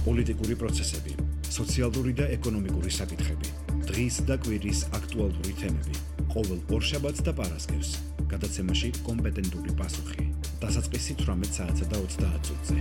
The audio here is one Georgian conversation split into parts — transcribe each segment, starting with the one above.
პოლიტიკური პროცესები, სოციალური და ეკონომიკური საკითხები, დღის და კვირის აქტუალური თემები, ყოველ ორშაბათს და პარასკევს, გადაცემაში კომპეტენტური პასუხი, დასაწყისი 18 საათსა და 30 წუთზე.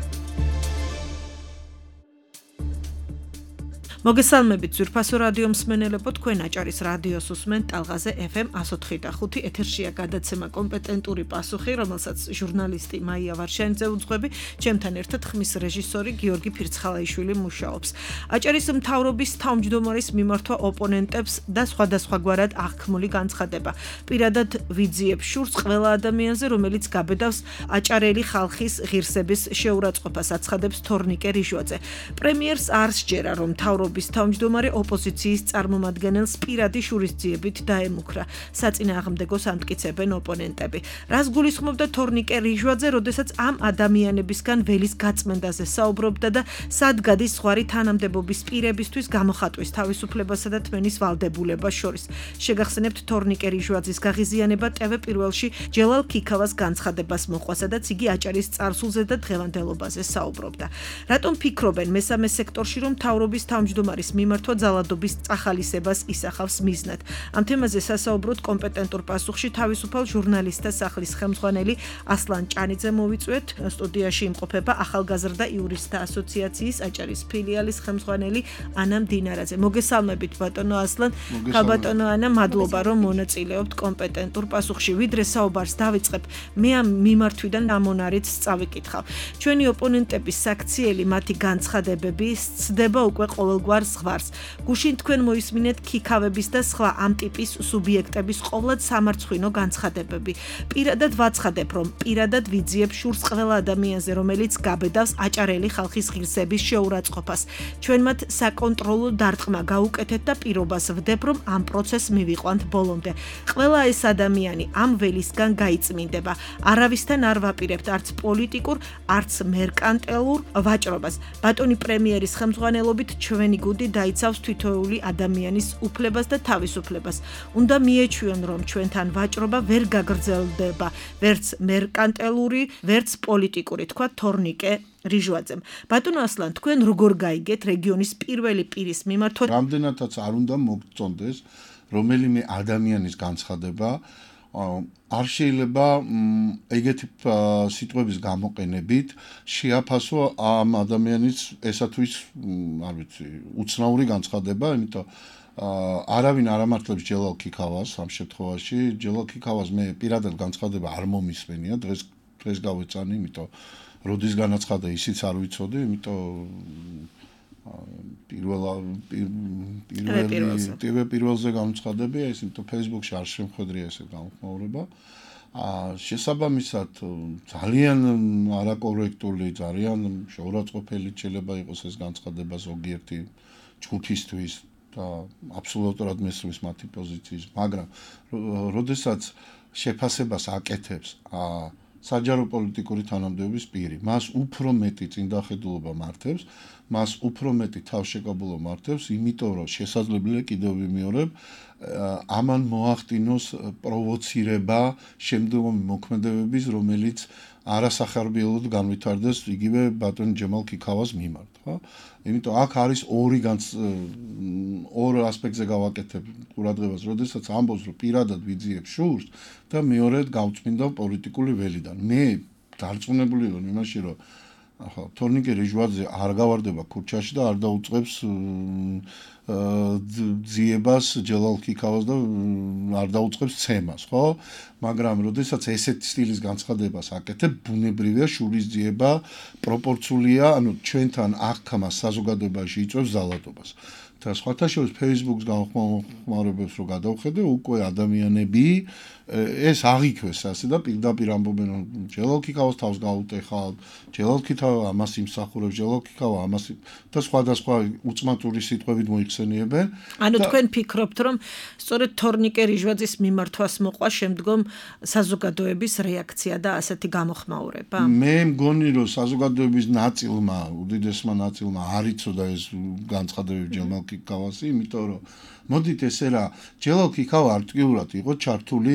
მოგესალმებით ძვირფასო რადიო მსმენელებო, თქვენ აჭარის რადიოს უსმენთ ტალღაზე FM 104.5 ეთერშია გადაცემა კომპეტენტური პასუხი, რომელსაც ჟურნალისტი მაია ვარშანიძე უძღვები, ჩემთან ერთად ხმის რეჟისორი გიორგი ფირცხალაიშვილი მუშაობს. აჭარის მთავრობის თავმჯდომარის მიმართვა ოპონენტებს და სხვადასხვაგვარად აღქმული განცხადება. პირადად ვიძიებ შურს ყველა ადამიანზე, რომელიც გაბედავს აჭარელი ხალხის ღირსების შეურაცხყოფას, აცხადებს თორნიკე რიჟვაძე. პრემიერს არ სჯერა, რომ თავრობის თავმჯდომარე ოპოზიციის წარმომადგენელს პირადი შურისძიებით დაემუქრა. საწინააღმდეგოს ამტკიცებენ ოპონენტები. რას გულისხმობდა თორნიკე რიჟვაძე, როდესაც ამ ადამიანებისგან ველის გაწმენდაზე საუბრობდა და სად გადის ზღვარი თანამდებობის პირებისთვის გამოხატვის თავისუფლებასა და თმენის ვალდებულებას შორის. შეგახსენებთ თორნიკე რიჟვაძის გაღიზიანება TV პირველში ჯელალ ქიქავას განცხადებას მოყვა, სადაც იგი აჭარის წარსულზე და დღევანდელობაზე საუბრობდა. რატომ ფიქრობენ მესამე სექტორში, რომ თავრობის თავმჯდომარის მიმართვა ძალადობის წახალისებას ისახავს მიზნად? ამ თემაზე სასაუბროდ კომპეტენტურ პასუხში თავისუფალ ჟურნალისტთა სახლის ხელმძღვანელი ასლან ჭანიძე მოვიწვიეთ. სტუდიაში იმყოფება ახალგაზრდა იურისტთა ასოციაციის აჭარის ფილიალის ხელმძღვანელი ანა მდინარაძე. მოგესალმებით ბატონო ასლან. ბატონო ანა, მადლობა რომ მონაწილეობთ კომპეტენტურ პასუხში. ვიდრე საუბარს დავიწყებ, მე ამ მიმართვიდან ამონარით წავიკითხავ. ჩვენი ოპონენტების საქციელი მათი განცხადებები სცდება უკვე ყოველგვარ ზღვარს. გუშინ თქვენ მოისმინეთ ქიქავების და სხვა ამ ტიპის სუბიექტების ყოვლად სამარცხვინო განცხადებები. პირადად ვაცხადებ, რომ პირადად ვიძიებ შურს ყველა ადამიანზე, რომელიც გაბედავს აჭარელი ხალხის ღირსების შეურაცხყოფას. ჩვენ მათ საკონტროლო დარტყმა გაუკეთეთ და პირობას ვდებ, რომ ამ პროცესს მივიყვანთ ბოლომდე. ყველა ეს ადამიანი ამ ველისგან გაიწმინდება. არავისთან არ ვაპირებთ არც პოლიტიკურ, არც მერკანტილურ ვაჭრობას. ბატონი პრემიერის ხელმძღვანელობით ჩვენი გუდი დაიცავს თითოეული ადამიანის უფლებას და თავისუფლებას. უნდა მიეჩვიონ, რომ ჩვენთან ვაჭრობა ვერ გაგრძელდება, ვერც მერკანტილური, ვერც პოლიტიკური, თქვა თორნიკე რიჟვაძემ. ბატონო ასლან, თქვენ როგორ გაიგეთ რეგიონის პირველი პირის მიმართვა? რამდენადაც არ უნდა მოგწონდეს რომელიმე ადამიანის განცხადება, არ შეიძლება ეგეთი სიტყვების გამოყენებით შეაფასო ამ ადამიანის ესა თუ ის, არ ვიცი, უცნაური განცხადება, იმიტომ არავინ არ ამართლებს ჯელალ ქიქავას ამ შემთხვევაში. ჯელალ ქიქავას მე პირადად განცხადება არ მომისმენია, დღეს გავეწანი, იმიტომ როდის განაცხადა ისიც არ ვიცოდი, იმიტომ პირველზე განცხადებია ის, იმიტომ Facebook-ში არ შემხედრია ესე გამოხმაურება. შესაბამისად ძალიან არაკორექტული, ძალიან შეურაცხყოფელი შეიძლება იყოს ეს განცხადება ზოგიერთი ჯგუფისთვის და აბსოლუტურად მესმის მათი პოზიციის, მაგრამ როდესაც შეფასებას აკეთებს საჯარო პოლიტიკური თანამდებობის პირი, მას უფრო მეტი წინდახედულობა მართებს, მას უფრო მეტი თავშეკავებულობა მართებს, იმიტომ რომ შესაძლებელია კიდევ ვიმეორებ, ამან მოახდინოს პროვოცირება შემდგომი მოქმედებების, რომელიც არასახარბიელოდ განვითარდეს იგივე ბატონ ჯემალ ქიქავას მიმართ, ხო? იმიტომ აქ არის ორ ასპექტზე გავაკეთებ ყურადღებას, როდესაც ამბობს, რომ პირადად ვიძიებ შურს და მეორედ გავწმინდა პოლიტიკური ველიდან. მე დარწმუნებული ვარ იმაში, რომ თორნიკე რიჟვაძე არ გავარდება ქუჩაში და არ დაუწყებს ძიებას ჯელალ ქიქავას და არ დაუწყებს ცემას, ხო? მაგრამ როდესაც ესეთი სტილის განცხადებას აკეთებ, ბუნებრივია შურის ძიება პროპორცულია, ანუ ჩვენთან აღქმა საზოგადოებაში იწვევს ძალადობას. და სხვათა შორის Facebook-ს განხმაურებებს რო გადავხედე, უკვე ადამიანები ეს აღიქვეს ასე და პირდაპირ ამბობენ, რომ ჯელალ ქიქავას თავს გაუტეხავთ, ჯელალ ქიქავა ამას იმსახურებს, ჯელალ ქიქავა ამას და სხვადასხვა უწმატური სიტყვებით მოიხსენიებენ. ანუ თქვენ ფიქრობთ, რომ სწორედ თორნიკე რიჟვაძის მიმართვას მოყვა შემდგომ საზოგადოების რეაქცია და ასეთი გამოხმაურება? მე მგონი, რომ საზოგადოების ნაწილმა, უდიდესმა ნაწილმა არ იცოდა ეს განცხადებები ჯელალ ქიქავასი, იმიტომ რომ მოდით ესე რა, ჯელალ ქიქავა აქტიურად იყო ჩართული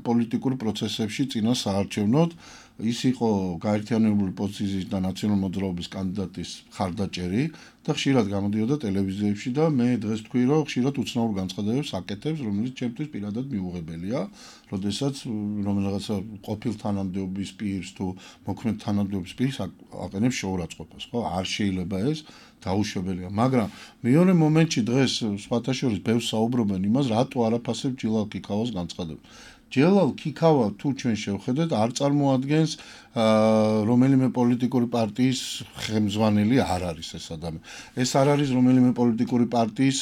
პოლიტიკურ პროცესებში წინა საარჩევნოდ, ის იყო გაერთიანებული პოზიციის და ნაციონალურ მოძრაობის კანდიდატის მხარდაჭერი და ხშირად გამოდიოდა ტელევიზიებში და მე დღეს თქვი, რომ ხშირად უცნაურ განცხადებებს აკეთებს, რომელიც ჩემთვის პირადად მიუღებელია, როდესაც რომელიღაცა ყოფილ თანამდებობის პირს თუ მოქმედ თანამდებობის პირს აყენებს შოურაცხყოფას, ხო? არ შეიძლება ეს დაუშვებელია, მაგრამ მეორე მომენტში დღეს სხვათა შორის ბევრს საუბრობენ იმას, რატო არაფასებ ჯელალ ქიქავას განცხადებას. ჯელალ ქიქავა თუ ჩვენ შევხედეთ არ წარმოადგენს რომელიმე პოლიტიკური პარტიის ხელმძღვანელი არ არის ეს ადამიანი. ეს არ არის რომელიმე პოლიტიკური პარტიის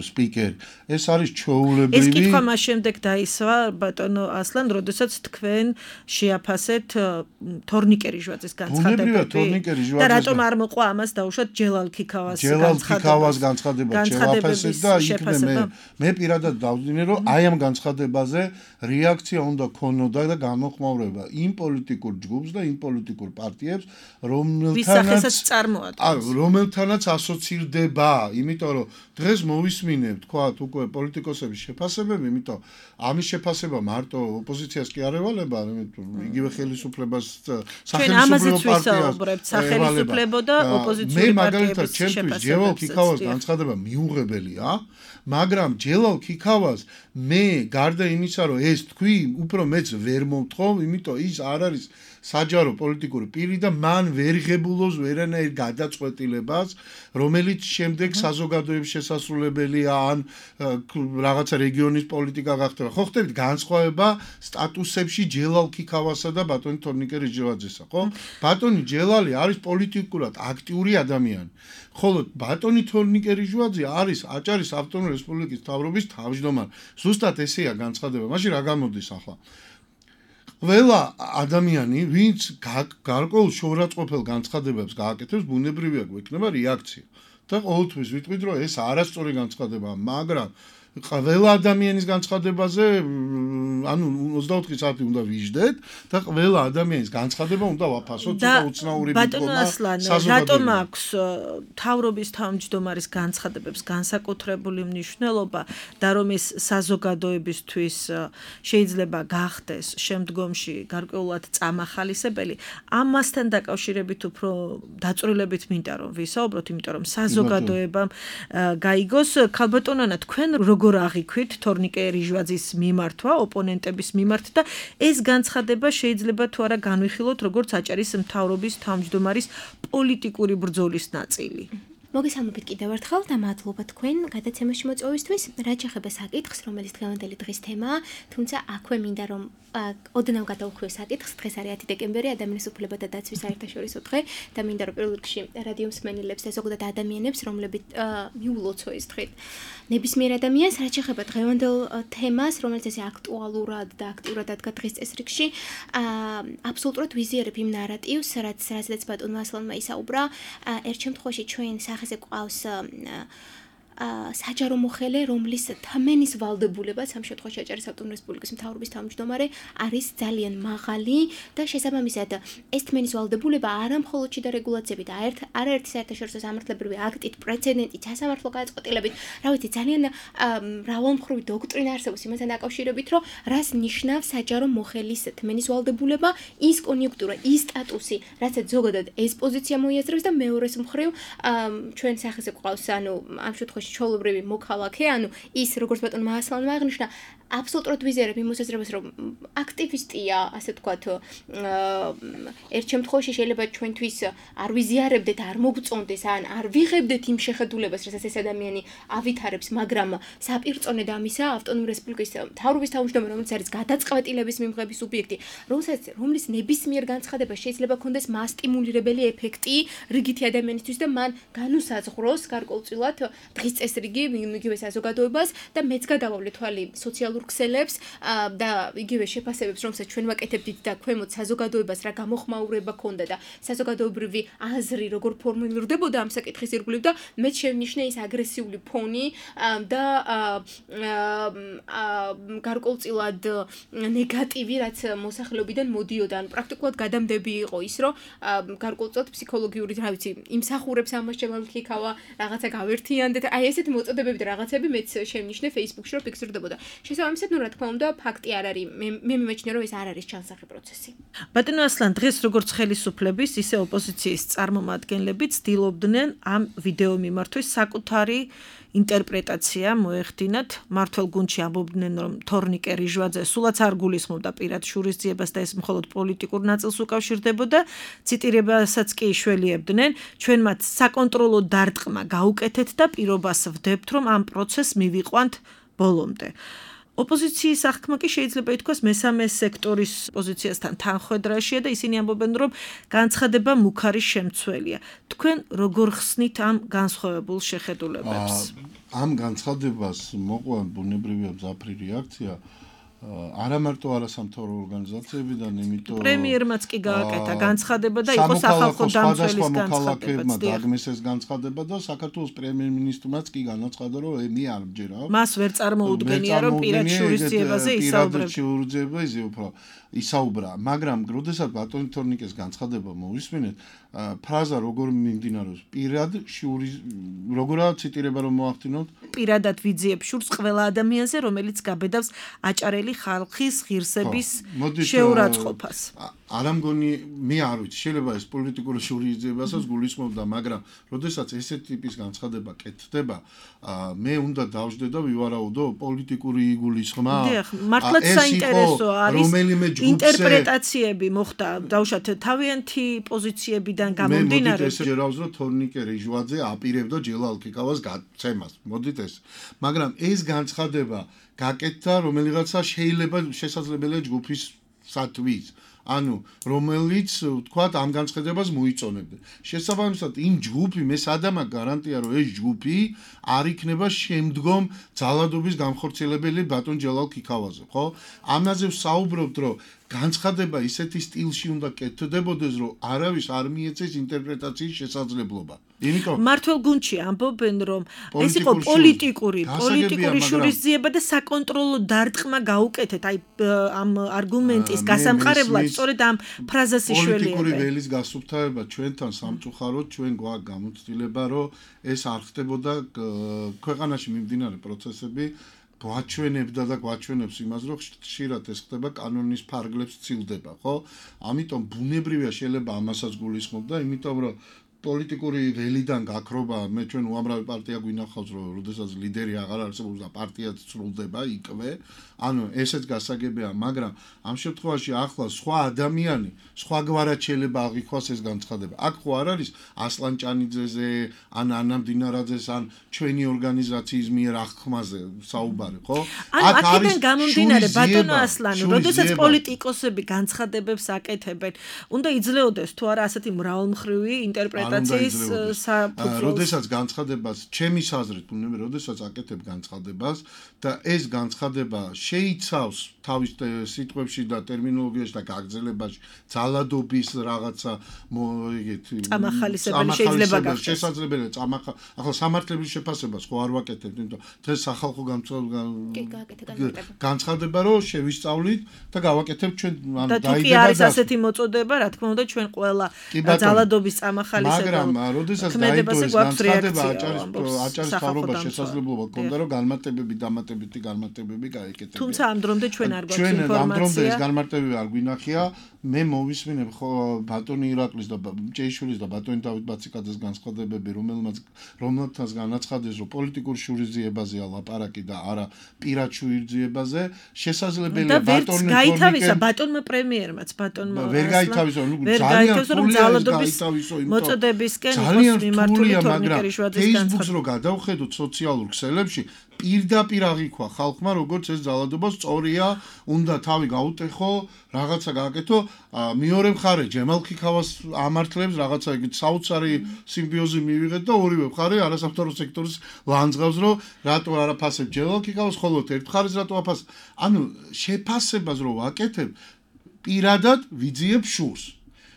სპიკერი. ეს არის ჩვეულებრივი. ეს კითხვა მას შემდეგ დაისვა ბატონო ასლან, როდესაც თქვენ შეაფასეთ თორნიკერიჟვაძის განცხადებები. და რატომ არ მოყვა ამას დაუშვათ ჯელალ ქიქავას განცხადება შევაფასეთ და იქნე მე პირადად დავძინე, რომ აი ამ განცხადებაზე რეაქცია უნდა ქონოდა და გამოხმაურება იმ პოლიტიკურ ჯგუფს და იმ პოლიტიკურ პარტიებს, რომელთანაც ასოცირდება, იმიტომ რომ დღეს მოვისმინებ, თქვათ, უკვე პოლიტიკოსების შეფასებები, იმიტომ ამის შეფასება მარტო ოპოზიციას კი არ ევალება, იგივე ხელისუფლებას სახელმწიფო პარტიას სახელმწიფო და ოპოზიციური პარტიების მე მაგალითად ჩემთვის ჯელალ ქიქავას განცხადება მიუღებელია, მაგრამ ჯელალ ქიქავას მე გარდა იმისა, რომ ეს თქვი, უფრო მეც ვერ მომთხოვ, იმიტომ ის არ არის საჯარო პოლიტიკური პირი და მან ვერ ღებულობს ვერანაირ გადაწყვეტილებას, რომელიც შემდეგ საზოგადოების შესასრულებელია ან რაღაცა რეგიონის პოლიტიკა გახდება. ხო ხდებით განსხვავება სტატუსებში ჯელალ ქიქავასა და ბატონი თორნიკერიჟვაძესა, ხო? ბატონი ჯელალი არის პოლიტიკურად აქტიური ადამიანი. ხოლო ბატონი თორნიკერიჟვაძე არის აჭარის ავტონომიური რესპუბლიკის მთავრობის თავმჯდომარე. ზუსტად ესეა განცხადება. მაშინ რა გამოდის ახლა? ყველა ადამიანი, ვინც გარკვეულ შოურაცხყოფელ განცხადებებს გააკეთებს, ბუნებრივია გვექნება რეაქცია. და ყოველთვის ვიტყვით, რომ ეს არასწორი განცხადებაა, მაგრამ ყველა ადამიანის განცხადებაზე, ანუ 24 საათი უნდა ვიждდეთ და ყველა ადამიანის განცხადება უნდა ვაფასოთ და უცნაური ბატონო ასლან, რატომ აქვს მთავრობის თავმჯდომარის განცხადებებს განსაკუთრებული მნიშვნელობა და რომ ეს საზოგადოებისთვის შეიძლება გახდეს შემდგომში გარკვეულად წამახალისებელი, ამასთან დაკავშირებით უფრო დაწვრილებით მინდა რომ ვისაუბროთ, იმიტომ რომ საზოგადოებამ გაიგოს. ქალბატონანა, თქვენ როგორ აღიქვით თორნიკერიჟვაძის მიმართვა, ოპონენტების მიმართ და ეს განცხადება შეიძლება თუ არა განვიხილოთ როგორც აჭარის მთავრობის თავმჯდომარის პოლიტიკური ბრძოლის ნაწილი. მოგესალმებით კიდევ ერთხელ და მადლობა თქვენ გადაცემაში მოწვევისთვის. რაც შეეხება საკითხს, რომელიც დღევანდელი დღის თემაა, თუმცა აქვე მინდა რომ ოდნავ გადავუხვიო საკითხს. დღეს არის 10 დეკემბერი, ადამიანის უფლებათა დაცვის საერთაშორისო დღე და მინდა რომ პირველ რიგში რადიო მსმენელებს და ზოგადად ადამიანებს, რომლებიც მიულოცო ეს დღე ნებისმიერ ადამიანს, რაც შეეხება დღევანდელ თემას, რომელიც ესე აქტუალურად და აქტიურად ადგა დღის წესრიგში, აბსოლუტურად ვიზიარებ იმ ნარატივს, რაცაც ბატონმა ასლანმა ისაუბრა. ერთ შემთხვევაში ჩვენ სახეზე ყავს საჯარო მოხელე, რომლის თმენის ვალდებულება ამ შემთხვევაში აჭარის ავტონომიური რესპუბლიკის მთავრობის თავმჯდომარე არის ძალიან მაღალი და შესაბამისად ეს თმენის ვალდებულება არა მხოლოდ შიდა რეგულაციებით, არაერთი საერთაშორისო სამართლებრივი აქტით, პრეცედენტით, სასამართლო გადაწყვეტილებით, რა ვიცი, ძალიან მრავალმხრივი დოქტრინა არსებობს იმასთან დაკავშირებით, რომ რას ნიშნავს საჯარო მოხელის თმენის ვალდებულება, ის კონიუნქტურა, ის სტატუსი, რაცაც ზოგადად ეს პოზიცია მოიაზრებს და მეორეს მხრივ ჩვენ სახეზე ყავს, ანუ ამ შემთხვევაში ჩაოლობრივი მოქალაქე, ანუ ის როგორც ბატონმა ასლანმა აღნიშნა, აბსოლუტურად ვიზიარებ იმ მოსაზრებას, რომ აქტივისტია, ასე ვთქვათ, ერთ შემთხვევაში შეიძლება ჩვენთვის არ ვიზიარებდეთ, არ მოგწონდეს, ან არ ვიღებდეთ იმ შეხედულებას, რასაც ეს ადამიანი ავითარებს, მაგრამ საპირწონედ ამისა ავტონომიური რესპუბლიკის მთავრობის თავმჯდომარე, რომელიც არის გადაწყვეტილების მიღების სუბიექტი, რომლის ნებისმიერ განცხადებას შეიძლება ქონდეს მასტიმულირებელი ეფექტი რიგითი ადამიანისთვის და მან განუსაზღვროს გარკვეულწილად დღის წესრიგი იგივე საზოგადოებას და მეც გადავავლე თვალი სოციალურ ქსელებს და იგივე შეფასებებს, რომელსაც ჩვენ ვაკეთებდით და ქვემოთ საზოგადოებას რა გამოხმაურება ქონდა და საზოგადოებრივი აზრი როგორ ფორმულირდებოდა ამ საკითხის ირგვლივ და მე შევნიშნე ის აგრესიული ფონი და გარკვეულწილად ნეგატივი, რაც მოსახლეობიდან მოდიოდა, ან პრაქტიკულად გადამდები იყო ის, რომ გარკვეულწილად ფსიქოლოგიური, რა ვიცი, იმსახურებს ამას შემალქიქავა, რაღაცა გავერთიანდეთ, აი ესეთ მოწოდებები და რაღაცები მეც შევნიშნე Facebook-ში, რომ ფიქსირდებოდა. შესაბამისად, რა თქმა უნდა, ფაქტი არ არის. მე მიმეჩნია, რომ ეს არ არის ჩანსახი პროცესი. ბატონო ასლან, დღეს როგორც ხელისუფლების, ისე ოპოზიციის წარმომადგენლები ცდილობდნენ ამ ვიდეო მიმართვის საკუთარი ინტერპრეტაცია მოეხდინათ. მართლ გუნდში ამბობდნენ, რომ თორნიკე რიჟვაძე სულაც არ გულისხმობდა პირად შურისძიებას და ეს მხოლოდ პოლიტიკურ ნაწილს უკავშირდებოდა. ციტირებასაც კი შველიებდნენ, ჩვენ მათ საკონტროლო დარტყმა გაუკეთეთ და პირობას ვდებთ, რომ ამ პროცესს მივიყვანთ ბოლომდე. ოპოზიციის აღქმა კი შეიძლება ითქვას მესამე სექტორის პოზიციასთან თანხვედრაშია და ისინი ამბობენ, რომ განცხადება მუქარი შემცველია. თქვენ როგორ ხსნით ამ განსხვავებულ შეხედულებებს? ამ განცხადებას მოყვა ბუნებრივია მძაფრი რეაქცია არა მარტო არასამთავრო ორგანიზაციებიდან, იმიტომ პრემიერმაც კი გააკეთა განცხადება და იყო სახალხო დამცველის განცხადება. დაგმეს ეს განცხადება და საქართველოს პრემიერ-მინისტრმაც კი განაცხადა, რომ მე არ მჯერავ. მას ვერ წარმოუდგენია, რომ პირად შურისძიებაზე ისაუბრა, მაგრამ როდესაც ბატონი თორნიკეს განცხადება მოვისმინეთ, ფრაზა როგორ მიმდინარეობს, პირად შურის როგორა ციტირება რომ მოახდინოთ, პირადად ვიძიებ შურს ყველა ადამიანზე, რომელიც გაბედავს აჭარელი ხალხის ღირსების შეურაცხყოფას. არა მგონი, მე არ ვიცი, შეიძლება ეს პოლიტიკური შურისძიებასაც გულისხმობდა, მაგრამ როდესაც ესეთ ტიპის განცხადება კეთდება, მე უნდა დავждე და ვივარაუდო პოლიტიკური იგულისხმა. დიახ, მართლაც საინტერესო არის ინტერპრეტაციები მოხდა, დავუშვათ თავიანთი პოზიციებიდან გამომდინარე. მე მოდით ჯერავს, რომ თორნიკე რიჟვაძე აპირებდა ჯელალ ქიქავას გაცემას. მოდით ეს. მაგრამ ეს განცხადება გაკეთდა რომელიღაცა შეიძლება შესაძლებელია ჯგუფის სათვის. ანუ რომელიც თქვათ ამ განცხადებას მოიწონებდა. შესაბამისად იმ ჯგუფი მე სადამა გარანტია რომ ეს ჯგუფი არ იქნება შემდგომ ძალადობის განხორციელებელი ბატონ ჯელალ ქიქავაზე, ხო? ამაზე ვსაუბრობთ, რომ განცხადება ისეთი სტილში უნდა კეთდებოდეს, რომ არავის არ მიეცეს ინტერპრეტაციის შესაძლებლობა. იმიტომ მართლ გუნდში ამბობენ, რომ ეს იყო პოლიტიკური შურისძიება და საკონტროლო დარტყმა გაუკეთეთ. აი ამ არგუმენტის გასამყარებლად სწორედ ამ ფრაზას იშველიებენ. პოლიტიკური ველის გასუფთავება ჩვენთან სამწუხაროდ ჩვენ გვაქვს გამოცდილება, რომ ეს არ ხდებოდა ქვეყანაში მიმდინარე პროცესები გვაჩვენებდა და გვაჩვენებს იმას, რომ ხშირად ეს ხდება კანონის ფარგლებს ცილდება, ხო? ამიტომ ბუნებრივია შეიძლება ამასაც გულისხმობდა, იმიტომ რომ პოლიტიკური ველიდან გაქრობა, მე ჩვენ უამრავი პარტია გვინახავს, რომ როდესაც ლიდერი აღარ არსებობს და პარტიაც სრულდება იქვე, ანუ ესეც გასაგებია, მაგრამ ამ შემთხვევაში ახლა სხვა ადამიანი, სხვაგვარად შეიძლება აღიქვას ეს განცხადება. აქ ხო არ არის ასლან ჭანიძეზე, ან ანა მდინარაძეს, ან ჩვენი ორგანიზაციის მიერ აღქმაზე საუბარი, ხო? აქ არის გამომდინარე ბატონო ასლანი, როდესაც პოლიტიკოსები განცხადებებს აკეთებენ, უნდა იძლეოდეს თუ არა ასეთი მრავალმხრივი ინტერპრეტაციის საფუძველს. როდესაც განცხადებას, ჩემის აზრით, როდესაც აკეთებ განცხადებას და ეს განცხადება შეიცავს თავის სიტყვებში და ტერმინოლოგიაში და გაგრძელებაში ძალადობის რაღაცა ეგეთი წამახალისებელი შეიძლება გახდეს. შესაძლებელია ახლა სამართლების შეფასებას ხო არ ვაკეთებთ, იმიტომ დღეს სახალხო განცხადება რომ შევისწავლით და გავაკეთებთ ჩვენ და თუ კი არის ასეთი მოწოდება, რა თქმა უნდა ჩვენ ყველა ძალადობის წამახალისებელ მაგრამ როდესაც დაიდო ეს განცხადება აჭარის მთავრობას შესაძლებლობა ჰქონდა რომ განმარტებები დამატებითი განმარტებები გაეკეთებინა. თუმცა ამ დრომდე ჩვენ არ გვაქვს ჩვენ ინფორმაცია. ამ დრომდე ეს განმარტებები არ გვინახია. მე მოვისმინებ ბატონი ირაკლის და ჭეიშვილის და ბატონი დავით ბაციკაძეს განცხადებები, რომელთაც განაცხადეს, რომ პოლიტიკურ შურისძიებაზეა ლაპარაკი და არა პირად შურისძიებაზე, შესაძლებელია ბატონი გაითავისა ბატონმა პრემიერმაც ბატონმა ვერ გაითავისო, ძალიან ძალადობის მოწოდებისკენ იყოს მიმართული თორნიკე რიჟვაძის განცხადება. Facebook-ს რო გადავხედოთ სოციალურ ქსელებში, პირდაპირ აღიქვა ხალხმა, როგორც ეს ძალადობა სწორია, უნდა თავი გაუტეხო, რაღაცა გააკეთო. მეორე მხარე ჯემალ ქიქავას ამართლებს რაღაცა ეგეთ საოცარი სიმბიოზი მივიღეთ და ორივე მხარე არასამთავრობო სექტორის ლანძღავს, რომ რატო არ აფასებ ჯემალ ქიქავას, ხოლო ერთ მხარეს რატო აფასებ. ანუ შეფასებას რო ვაკეთებ, პირადად ვიძიებ შურს.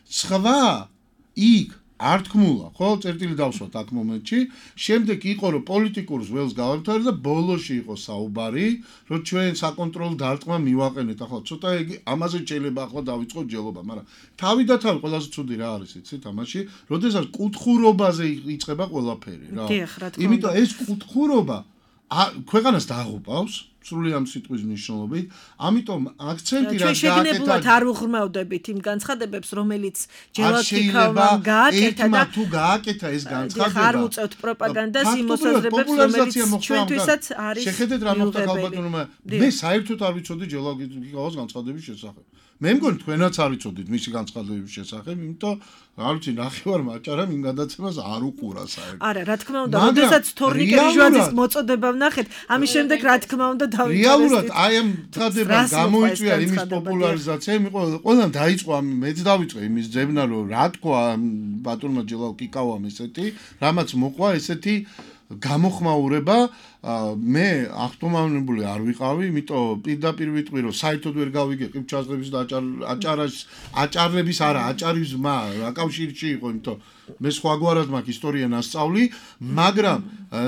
სხვა იქ არ თქმულა, ხო, წერტილი დავსვათ აქ მომენტში, შემდეგ იყო რომ პოლიტიკურს ველს გავამთავრე და ბოლოში იყო საუბარი, რომ ჩვენ საკონტროლო დარტყმა მივაყენეთ. ახლა ცოტა იგი ამაზე შეიძლება ახლა დავიწყოთ ჯელობა, მაგრამ თავი და თავი ყველაზე ცუდი რა არის, იცით, ამაში, როდესაც კუთხურობაზე იწყება ყველაფერი, რა. იმიტომ ეს კუთხურობა ქვეყანას დაღუპავს სრული ამ სიტყვის მნიშვნელობით, ამიტომ აქცენტი რა გააკეთა. ჩვენ შეგნებულად არ უღრმავდებით იმ განცხადებებს, რომელიც ჯელალ ქიქავამ გააკეთა და თუ გააკეთა ეს განცხადება. არ უწევთ პროპაგანდას იმ მოსაზრებებს, რომელიც ჩვენთვისაც არის. შეხედეთ რა მოხდა ხალბატონმა. მე საერთოდ არ ვიცოდი ჯელალ ქიქავას განცხადების შესახებ. მე მგონი თქვენაც არ ვიცოდით მისი განცხადების შესახებ, იმიტომ არ ვიცი, ნახევარმა აჭარამ იმ გადაცემას არ უყურა საერთოდ. არა, რა თქმა უნდა, როდესაც თორნიკე ჟვაძის მოწოდება ვნახეთ, ამის შემდეგ რა თქმა უნდა დავიწყეთ. რეალურად აი ამ წადება გამოიწვია იმის პოპულარიზაცია, ყველამ დაიწყო ამ მეც დავიწყე იმის ძებნა, რომ რა თქვა ბატონმა ჯელალ ქიქავამ ესეთი, რამაც მოყვა ესეთი გამოხმაურება, მე ახტომავნებული არ ვიყავი, იმიტომ პირდაპირ ვიტყვი, რომ საერთოდ ვერ გავიგე ყივჩაზღების და აჭარლების არა, აჭარის მა, აკავშირში იყო, იმიტომ მე სხვაგვარად მაქვს ისტორია ნასწავლი, მაგრამ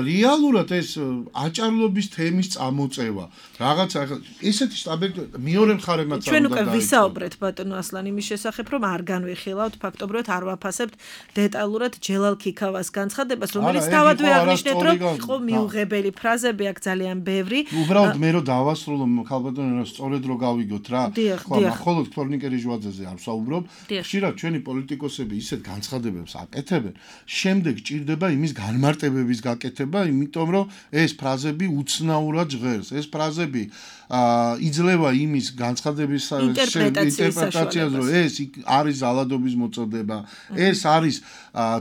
რეალურად ეს აჭარლობის თემის წამოწევა, რაღაცა ესეთი სტაბილური მეორე მხარემაც ჩვენ უკვე ვისაუბრეთ ბატონო ასლან იმის შესახებ, რომ არ განვიხილავთ, ფაქტობრივად არ ვაფასებთ დეტალურად ჯელალ ქიქავას განცხადებას, რომელიც თავადვე აღნიშნეთ, რომ იყო მიუღებელი ფრაზები აქ ძალიან ბევრი. უბრალოდ მე რო დავასრულო ხალბატონო, სწორედ რო გავიგოთ რა. ხოლმე მხოლოდ თორნიკე ჟვაძეზე არ ვსაუბრობ. ხშირად ჩვენი პოლიტიკოსები ისეთ განცხადებებს აკეთებენ, შემდეგ ჭირდება იმის განმარტებების გაკეთება, იმიტომ რომ ეს ფრაზები უცნაურად ჟღერს. ეს ფრაზები იძლევა იმის განცხადების ინტერპრეტაციას, რომ ეს არის ზალადობის მოწოდება, ეს არის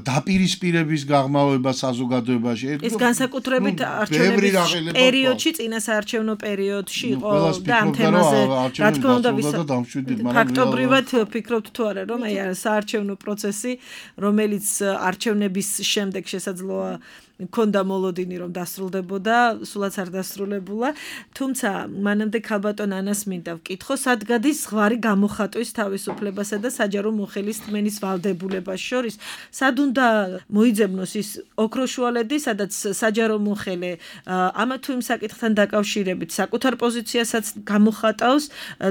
დაპირისპირების გაღრმავება საზოგადოებაში. ეს განსაკუთრებით არჩევნების პერიოდში, წინა საარჩევნო პერიოდში იყო და ამ თემაზე რა თქმა უნდა ფაქტობრივად ფიქრობთ თუ არა, რომ აი საარჩევნო პროცესი, რომელიც არჩევნების შემდეგ შესაძლოა მქონდა მოლოდინი რომ დასრულდებოდა, სულაც არ დასრულებულა, თუმცა მანამდე ქალბატონ ანას მინდა ვკითხო, სად გადის ზღვარი გამოხატვის თავისუფლებასა და საჯარო მოხელის თმენის ვალდებულებას შორის, სად უნდა მოიძებნოს ის ოქროშუალედი, სადაც საჯარო მოხელე ამა თუ იმ საკითხთან დაკავშირებით საკუთარ პოზიციასაც გამოხატავს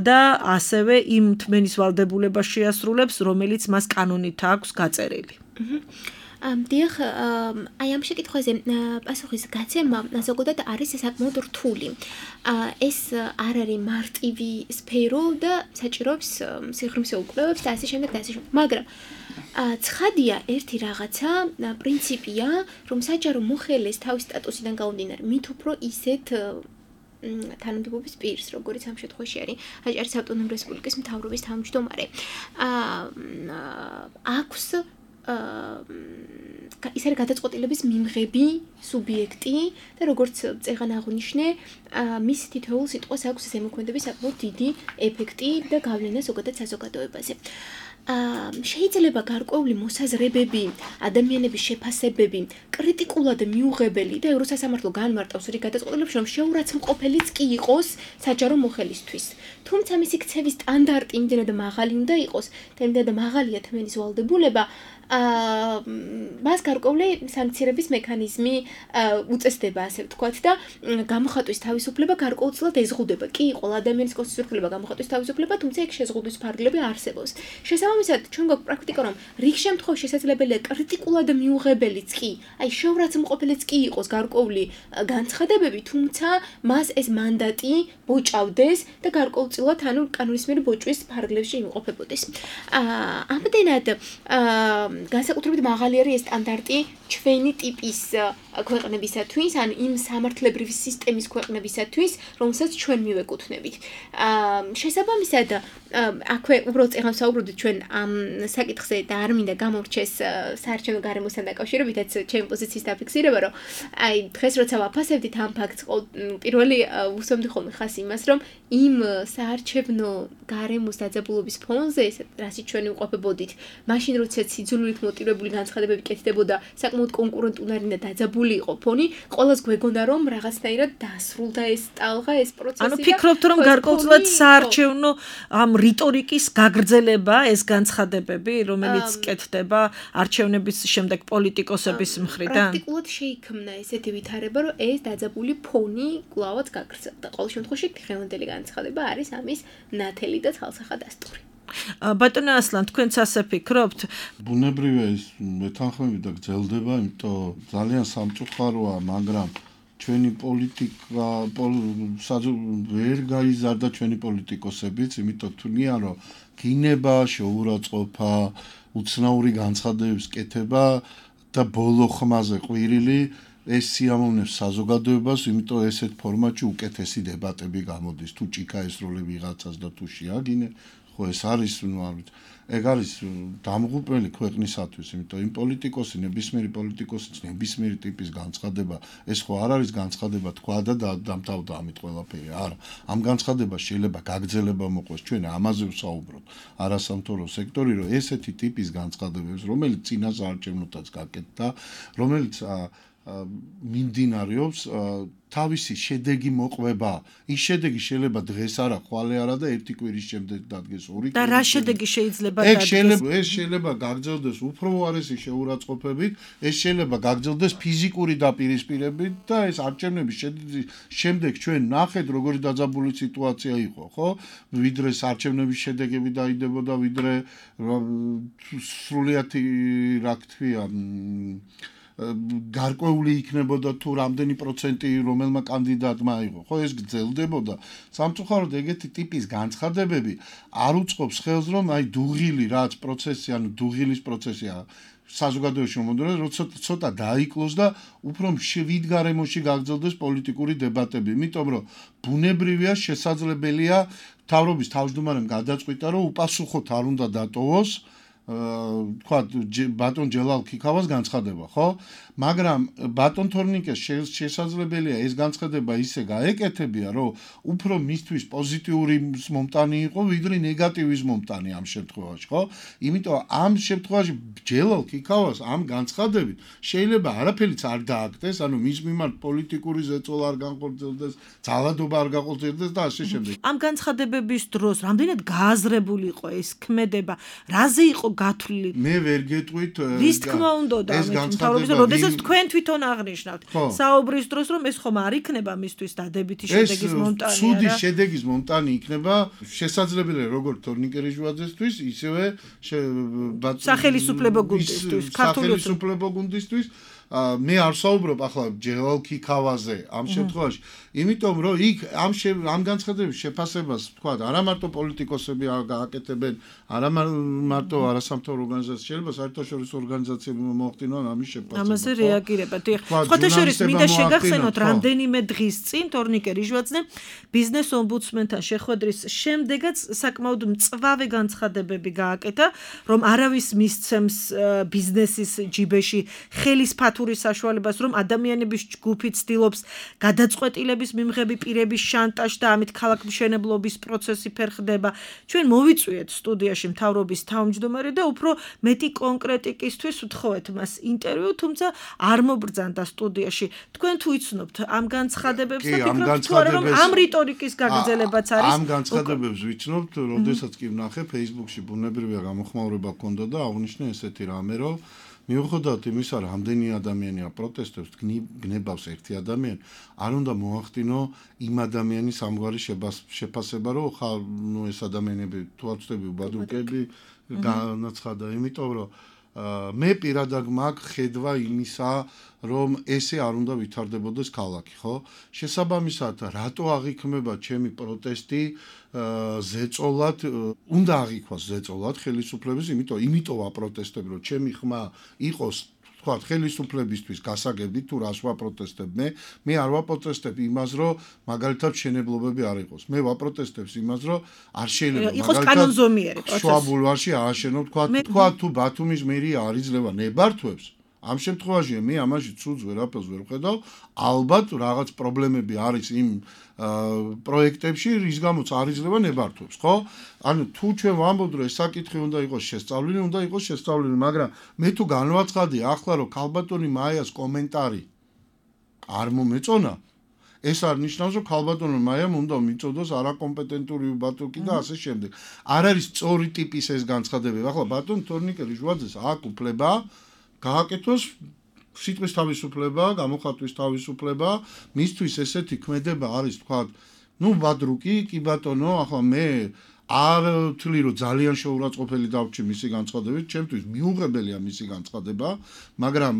და ასევე იმ თმენის ვალდებულებას შეასრულებს, რომელიც მას კანონით აქვს გაწერილი. დიახ, აი ამ შეკითხვაზე პასუხის გაცემა ზოგადად არის საკმაოდ რთული. ეს არ არის მარტივი სფერო და საჭიროებს სიღრმისეულ კვლევებს და ასე შემდეგ და ასე შემდეგ. მაგრამ ცხადია ერთი რაღაცა, პრინციპია, რომ საჯარო მოხელეს თავის სტატუსიდან გამომდინარე, მით უფრო ისეთ თანამდებობის პირს, როგორც ამ შემთხვევაში არის აჭარის ავტონომიური რესპუბლიკის მთავრობის თავმჯდომარე. აქვს ის არის გადაწყვეტილების მიმღები სუბიექტი და როგორც წეღან აღნიშნე, მის თითოეულ სიტყვას აქვს ზემოქმედების საკმაოდ დიდი ეფექტი და გავლენა ზოგადად საზოგადოებაზე. შეიძლება გარკვეული მოსაზრებები, ადამიანების შეფასებები კრიტიკულად მიუღებელი და ევროსასამართლო განმარტავს რიგ გადაწყვეტილებს, რომ შეურაცხმყოფელიც კი იყოს საჯარო მოხელისთვის. თუმცა მისი ქცევის სტანდარტი იმდენად მაღალი უნდა იყოს, და იმდენად მაღალია თმენის ვალდებულება, მას გარკვეული სანქცირების მექანიზმი უწესდება, ასე ვთქვათ, და გამოხატვის თავისუფლება გარკვეულწილად ეზღუდება. კი, ყველა ადამიანის კონსტიტუციურობა გამოხატვის თავისუფლება, თუმცა ეგ შეზღუდვის ფარგლები არსებობს. შესაბამისად, ჩვენ გვაქვს პრაქტიკა, რომ რიგ შემთხვევაში შესაძლებელია კრიტიკულად მიუღებელიც კი, აი შეურაცხმყოფელიც კი იყოს გარკვეული განცხადებები, თუმცა მას ეს მანდატი ბოჭავდეს და გარკვეულწილად ანუ კანონისმიერი ბოჭვის ფარგლებში იმყოფებოდეს. ამდენად განსაკუთრებით მაღალი არის ეს სტანდარტი ჩვენი ტიპის ქვეყნებისათვის, ან იმ სამართლებრივი სისტემის ქვეყნებისათვის, რომელსაც ჩვენ მივეკუთვნებით. შესაბამისად, აქვე უბრალოდ წეგან საუბრობთ ჩვენ ამ საკითხზე და არ მინდა გამორჩეს საარჩევნო გარემოსთან დაკავშირებითაც ჩემი პოზიციის დაფიქსირება, რომ აი დღეს როცა ვაფასებდით ამ ფაქტს, პირველი უსვამდი ხოლმე ხას იმას, რომ იმ საარჩევნო გარემოს დაძაბულობის ფონზე, რასაც ჩვენ ვიყოფებოდით, მაშინ როცა სიძულვილით მოტივირებული განცხადებები კეთდებოდა, საკმაოდ კონკურენტუნარი და დაძაბული იყო ფონი, ყველას გვეგონა რომ რაღაცნაირად დასრულდა ეს ტალღა, ეს პროცესი. ანუ ფიქრობთ რომ გარკვეულწილად საარჩევნო ამ რიტორიკის გაგრძელება ეს განცხადებები, რომელიც კეთდება არჩევნების შემდეგ პოლიტიკოსების მხრიდან? პრაქტიკულად შეიქმნა ესეთი ვითარება, რომ ეს დაძაბული ფონი კვლავაც გაგრძელდა. ყოველ შემთხვევაში დღევანდელი განცხადება არის ამის ნათელი და თვალსაჩინო. ბატონო ასლან, თქვენც ასე ფიქრობთ? ბუნებრივია ეს მეთანხმები და გრძელდება, იმიტომ ძალიან სამწუხაროა, მაგრამ ჩვენი პოლიტიკა ვერ გაიზარდა ჩვენი პოლიტიკოსებიც, იმიტომ თვლიან, რომ გინება, შეურაცხყოფა, უცნაური განცხადებების კეთება და ბოლო ხმაზე ყვირილი ეს სიამოვნებს საზოგადოებას, იმიტომ ესეთ ფორმატში უკეთესი დებატები გამოდის, თუ ჭიქა ესროლე ვიღაცას და თუ შეაგინე, ხო ეს არის, ეგ არის დამღუპველი ქვეყნისათვის, იმიტომ იმ პოლიტიკოსი, ნებისმიერი პოლიტიკოსი, ნებისმიერი ტიპის განცხადება, ეს ხო არ არის განცხადება თქვა და დამთავრდა ამით ყველაფერი, არა. ამ განცხადებას შეიძლება გაგრძელება მოყვეს, ჩვენ ამაზე ვსაუბრობთ, არასამთავრობო სექტორი, რომ ესეთი ტიპის განცხადებებს, რომელიც წინა საარჩევნოთაც გაკეთდა, რომელიც მიმდინარეობს თავისი შედეგი მოყვება. ის შედეგი შეიძლება დღეს არა, ხვალე არა და ერთი კვირის შემდეგ დადგეს, ორი კვირის. და რა შედეგი შეიძლება დადგეს? ეს შეიძლება გაგრძელდეს უფრო უარესი შეურაცხყოფებით, ეს შეიძლება გაგრძელდეს ფიზიკური დაპირისპირებით და ეს არჩევნების შემდეგ ჩვენ ნახეთ, როგორი დაძაბული სიტუაცია იყო, ხო? ვიდრე არჩევნების შედეგები დაიდებოდა, ვიდრე სრულიათი, რა ქვია, გარკვეული იქნებოდა თუ რამდენი პროცენტი რომელმა კანდიდატმა აიღო. ხო ეს გრძელდებოდა. სამწუხაროდ ეგეთი ტიპის განცხადებები არ უწყობს ხელს, რომ აი დუღილი რაც პროცესი, ანუ დუღილის პროცესია საზოგადოებაში მომდევნო, როცა ცოტა დაიკლოს და უფრო მშვიდ გარემოში გაგრძელდეს პოლიტიკური დებატები. იმიტომ რომ ბუნებრივია, შესაძლებელია მთავრობის თავმჯდომარემ გადაწყვიტა, რომ უპასუხოდ არ უნდა დატოვოს თქვა ბატონ ჯელალ ქიქავას განცხადება, ხო? მაგრამ ბატონ თორნიკეს შესაძლებელია ეს განცხადება ისე გაეკეთებია, რომ უფრო მისთვის პოზიტიური მომტანი იყო, ვიდრე ნეგატივის მომტანი ამ შემთხვევაში, ხო? იმიტომ ამ შემთხვევაში ჯელალ ქიქავას ამ განცხადებით შეიძლება არაფერიც არ დააკეთეს, ანუ მის მიმართ პოლიტიკური ზეწოლა არ განხორციელდეს, ძალადობა არ განხორციელდეს და ასე შემდეგ. ამ განცხადებების დროს რამდენად გააზრებული იყო ეს ქმედება, რაზე იყო გათვლილი? მე ვერ გეტყვით რის თქმა უნდა და მთავრობის როდესაც თქვენ თვითონ აღნიშნავთ საუბრის დროს, რომ ეს ხომ არ იქნება მისთვის დადებითი შედეგის მომტანი, არა? ცუდი შედეგის მომტანი იქნება შესაძლებელია როგორც თორნიკერიჟვაძესთვის, ისევე სახელისუფლებო გუნდისთვის, ქართული სახელისუფლებო გუნდისთვის. მე არ საუბრობ ახლა ჯელალ ქიქავაზე ამ შემთხვევაში, იმიტომ რომ იქ ამ განცხადების შეფასებას თქვა, არა მარტო პოლიტიკოსები გააკეთებენ, არა მარტო არასამთავრობო ორგანიზაციები, შეიძლება საერთაშორისო ორგანიზაციები მოახდინონ ამის შეფასებას. ამაზე რეაგირება. სხვათა შორის მინდა შეგახსენოთ, რამდენიმე დღის წინ თორნიკე რიჟვაძე ბიზნეს ომბუდსმენთან შეხვედრის შემდეგაც საკმაოდ მწვავე განცხადებები გააკეთა, რომ არავის მისცემს ბიზნესის ჯიბეში ხელის საშუალებას, რომ ადამიანების ჯგუფი ცდილობს გადაწყვეტილების მიმღები პირების შანტაჟს და ამით ქალაქმშენებლობის პროცესი ფერხდება. ჩვენ მოვიწვიეთ სტუდიაში მთავრობის თავმჯდომარე და უფრო მეტი კონკრეტიკისთვის ვთხოვეთ მას ინტერვიუ, თუმცა არ მობრძანდა სტუდიაში. თქვენ თუ იცნობთ ამ განცხადებებს და ფიქრობთ თუ არა, რომ ამ რიტორიკის გაგრძელებაც არის? ამ განცხადებებს ვიცნობთ, როდესაც კი ვნახე Facebook-ში ბუნებრივია გამოხმაურება ჰქონდა და აღნიშნე ესეთი რამე, რომ მიუხედავად იმისა, რომ რამდენი ადამიანია პროტესტებს, გნებავს ერთი ადამიანი, არ უნდა მოახდინო იმ ადამიანის ამგვარი შეფასება, რომ ეს ადამიანები თვალწვდები უბადრუკები განაცხადა, იმიტომ რომ მე პირადად მაქვს ხედვა იმისა, რომ ესე არ უნდა ვითარდებოდეს ქალაქი, ხო? შესაბამისად, რატო აღიქმება ჩემი პროტესტი ზეწოლად, უნდა აღიქვას ზეწოლად ხელისუფლების, იმიტომ ვაპროტესტებ, რომ ჩემი ხმა იყოს თქვათ ხელისუფლებისთვის გასაგები თუ რას ვაპროტესტებ მე არ ვაპროტესტებ იმას რომ მაგალითად შენებლობები არ იყოს მე ვაპროტესტებ იმას რომ არ შეიძლება იყოს კანონზომიერი პროცესი შუა ბულვარში ააშენო თქვათ თუ ბათუმის მერია არ იძლევა ნებართვებს ამ შემთხვევაში მე ამაში ცუდს ვერაფერს ვერ ვხედავ ალბათ რაღაც პრობლემები არის იმ პროექტებში რის გამოც არ იძლევა ნებართვებს ხო ანუ თუ ჩვენ ვამბობთ რომ ეს საკითხი უნდა იყოს შესწავლილი მაგრამ მე თუ განვაცხადე ახლა რომ ქალბატონი მაიას კომენტარი არ მომეწონა ეს არ ნიშნავს რომ ქალბატონო მაიამ უნდა მიწოდოს არაკომპეტენტური ბატონი და ასე შემდეგ არ არის სწორი ტიპის ეს განცხადებები ახლა ბატონ თორნიკე ჟვაძეს აქვს უფლება გააკეთოს სიტყვის თავისუფლება, გამოხატვის თავისუფლება, მისთვის ესეთი ქმედება არის თქვა, ბადრუკი, კი ბატონო, ახლა მე არ ვთვლი რომ ძალიან შეურაცხყოფელი დავჭი მისი განცხადებით, ჩემთვის მიუღებელია მისი განცხადება, მაგრამ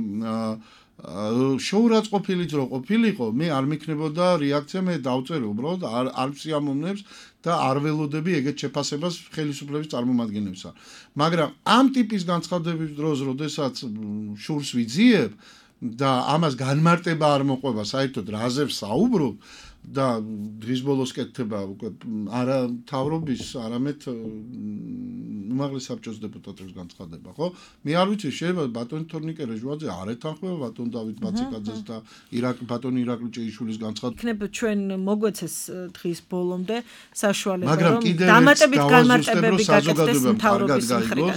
შეურაცხყოფილიც რო ყოფილიყო, მე არ მიქნებოდა რეაქცია, მე დავწერე უბრალოდ არ ვსიამოვნებს და არ ველოდები ეგეთ შეფასებას ხელისუფლების წარმომადგენლებსა. მაგრამ ამ ტიპის განცხადების დროს, როდესაც შურს ვიძიებ და ამას განმარტება არ მოყვება, საერთოდ რაზე ვსაუბრობ და დღის ბოლოს კეთდება უკვე არა თავრობის, არამედ უმაღლეს საბჭოს დეპუტატების განცხადება, ხო? მე არ ვიცი, შეიძლება ბატონი თორნიკე ჟვაძე არ ეთანხმება ბატონ დავით ბაციკაძეს და ბატონი ირაკლი ჭეიშვილის განცხადება. იქნება ჩვენ მოგვეცეს დღის ბოლომდე საშუალება, რომ დამატებით განმარტებები გაკეთდეს მთავრობის მხრიდან.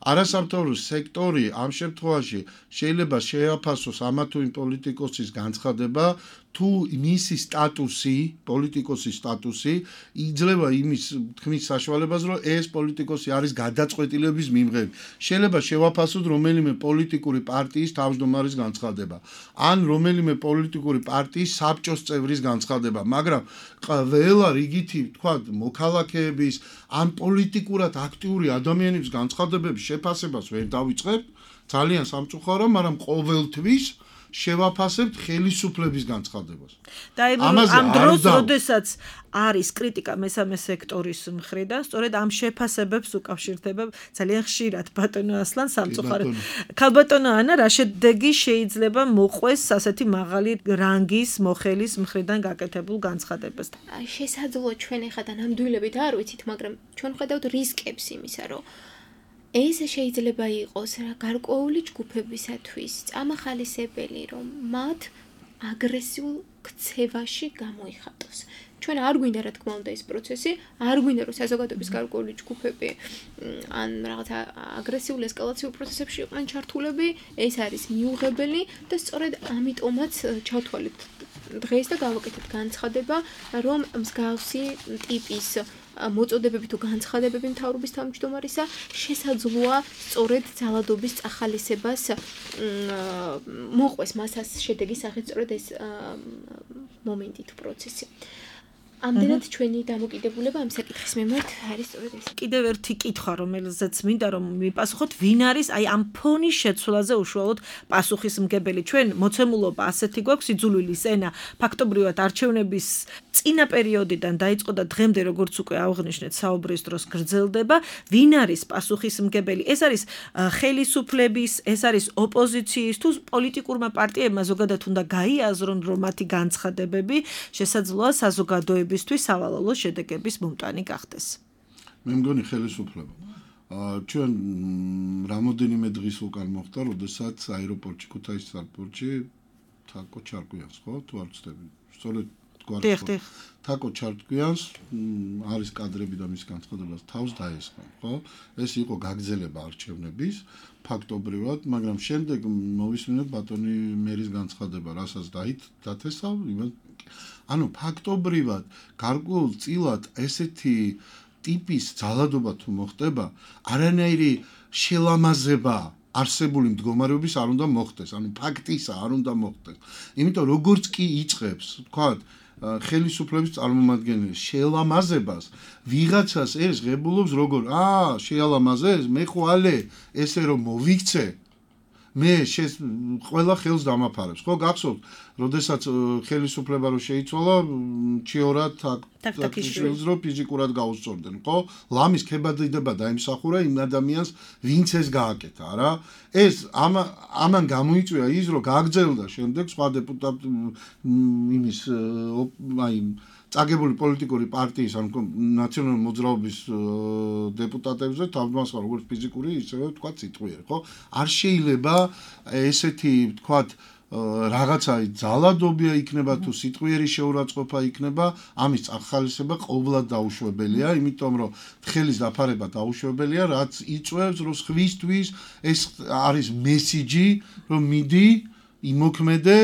არასამთავრობო სექტორი ამ შემთხვევაში შეიძლება შეაფასოს ამა თუ იმ პოლიტიკოსის განცხადება თუ მისი სტატუსი, პოლიტიკოსის სტატუსი იძლევა იმის თქმის საშუალებას, რომ ეს პოლიტიკოსი არის გადაწყვეტილების მიმღები. შეიძლება შევაფასოთ რომელიმე პოლიტიკური პარტიის თავმჯდომარის განცხადება, ან რომელიმე პოლიტიკური პარტიის საბჭოს წევრის განცხადება, მაგრამ ყველა რიგითი, თქვა, მოქალაქეების, ან პოლიტიკურად აქტიური ადამიანების განცხადებების შეფასებას ვერ დავიწყებთ, ძალიან სამწუხარო, მაგრამ ყოველთვის შევაფასებთ ხელისუფლების განცხადებას. და ამ დროს, როდესაც არის კრიტიკა მესამე სექტორის მხრიდან, სწორედ ამ შეფასებებს უკავშირდება ძალიან ხშირად ბატონო ასლან სამწუხაროდ. ქალბატონო ანა, რა შედეგი შეიძლება მოყვეს ასეთი მაღალი რანგის მოხელის მხრიდან გაკეთებულ განცხადებას? შესაძლოა ჩვენ ეხლა ნამდვილებით არ ვიცით, მაგრამ ჩვენ ხედავთ რისკებს იმისა, რომ ეს შეიძლება იყოს გარკვეული ჯგუფებისათვის წამახალისებელი, რომ მათ აგრესიულ ქცევაში გამოიხატოს. ჩვენ არ გვინდა რა თქმა უნდა ეს პროცესი, არ გვინდა რომ საზოგადოების გარკვეული ჯგუფები ან რაღაცა აგრესიულ ესკალაციურ პროცესებში იყვნენ ჩართულები, ეს არის მიუღებელი და სწორედ ამიტომაც ჩავთვალეთ დღეს და გავაკეთეთ განცხადება, რომ მსგავსი ტიპის მოწოდებები თუ განცხადებები მთავრობის თავმჯდომარისა შესაძლოა სწორედ ძალადობის წახალისებას მოყვეს მასას შედეგის სახით სწორედ ეს მომენტი თუ პროცესი. ამდენად ჩვენი დამოკიდებულება ამ საკითხის მიმართ არის სწორედ ეს. კიდევ ერთი კითხვა, რომელზეც მინდა რომ მიპასუხოთ, ვინ არის აი ამ ფონის შეცვლაზე უშუალოდ პასუხისმგებელი? ჩვენ მოცემულობა ასეთი გვაქვს იძულვილის ენა, ფაქტობრივად არჩევნების წინა პერიოდიდან დაიწყო და დღემდე როგორც უკვე აღნიშნეთ, საუბრის დროს გრძელდება. ვინ არის პასუხისმგებელი? ეს არის ხელისუფლების, ეს არის ოპოზიციის თუ პოლიტიკურმა პარტიებმა ზოგადად უნდა გაიაზრონ, რომ მათი განცხადებები შესაძლოა საზოგადოებისთვის სავალალო შედეგების მომტანი გახდეს. მე მგონი ხელისუფლება. ჩვენ რამოდენიმე დღის უკან მოხდა, როდესაც აეროპორტში, ქუთაისის აეროპორტში თაკო ჩარკვიანს, ხო? თუ არ ვცდები. სწორედ თაკო ჩარკვიანს არის კადრები და მის განცხადებას თავს დაესხა, ხო? ეს იყო გაგრძელება არჩევნების ფაქტობრივად, მაგრამ შემდეგ მოვისმინეთ ბატონი მერის განცხადება, რასაც დათესა, ანუ ფაქტობრივად გარკვეულწილად ესეთი ტიპის ძალადობა თუ მოხდება, არანაირი შელამაზება არსებული მდგომარეობის არ უნდა მოხდეს, ანუ ფაქტისა არ უნდა მოხდეს. იმიტომ როგორც კი იწყებს, თქვათ, ხელისუფლების წარმომადგენელი შეელამაზებას ვიღაცას ეს ღებულობს როგორ შეელამაზეს მე ხვალე ესე რომ მოვიქცე მე ყველა ხელს დამაფარებს ხო გახსოვთ როდესაც ხელისუფლება რო შეიცვალა ჩიორა თაკთაკიშვილს რო ფიზიკურად გაუსწორდნენ ხო ლამის ქებადება დაიმსახურა იმ ადამიანს ვინც ეს გააკეთა რა ეს ამან გამოიწვია ის რომ გაგრძელდა შემდეგ სხვა დეპუტატ იმის აი წაგებული პოლიტიკური პარტიის ან ნაციონალური მოძრაობის დეპუტატებზე თავმასხმა როგორც ფიზიკური ისევე თქვა სიტყვიერი ხო არ შეიძლება ესეთი თქვა რაღაცა ძალადობია იქნება თუ სიტყვიერი შეურაცხყოფა იქნება ამის ახალისება ყოვლად დაუშვებელია იმიტომ რომ თხელის დაფარება დაუშვებელია რაც იწვევს რომ სხვისთვის ეს არის მესიჯი რომ მიდი იმოქმედე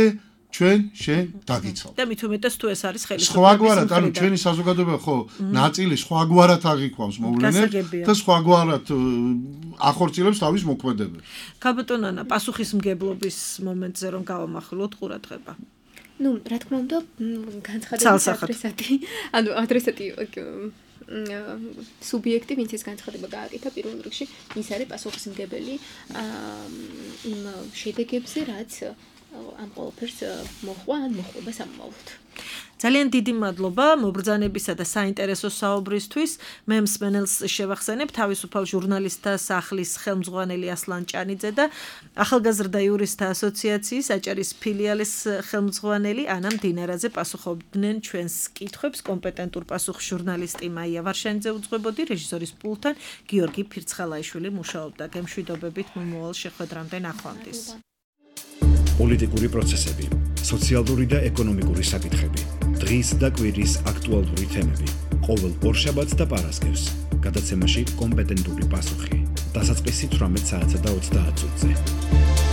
ჩვენ შენ დაგიცავ. და მით უმეტეს თუ ეს არის ხელისუფლების სხვაგვარად, ანუ ჩვენი საზოგადოება ხო ნაწილი სხვაგვარად აღიქვამს მოვლენებს და სხვაგვარად ახორციელებს თავის მოქმედებას. ქალბატონანა, პასუხისმგებლობის მომენტზე რომ გავამახვილოთ ყურადღება. ნუ, რა თქმა უნდა, განცხადების ადრესატი სუბიექტი, ვინც ეს განცხადება გააკეთა პირველ რიგში, ის არის პასუხისმგებელი იმ შედეგებზე, რაც ამ ყველაფერს მოხვა ან მოხდება სამომავლოდ. ძალიან დიდი მადლობა მობრძანებისა და საინტერესო საუბრისთვის. მე მსმენელს შევახსენებ თავისუფალ ჟურნალისტთა სახლის ხელმძღვანელი ასლან ჭანიძე და ახალგაზრდა იურისტთა ასოციაციის აჭარის ფილიალის ხელმძღვანელი ანა მდინარაძე პასუხობდნენ ჩვენს კითხვებს. კომპეტენტურ პასუხს ჟურნალისტი მაია ვარშანიძე უძღვებოდი, რეჟისორის პულტთან გიორგი ფირცხალაიშვილი მუშაობდა. გემშვიდობებით მომავალ შეხვედრამდე ნახვამდის. პოლიტიკური პროცესები, სოციალური და ეკონომიკური საკითხები, დღის და კვირის აქტუალური თემები. ყოველ ორშაბათს და პარასკევს გადაცემაში კომპეტენტური პასუხი. დასაწყისი 18 საათსა და 30 წუთზე.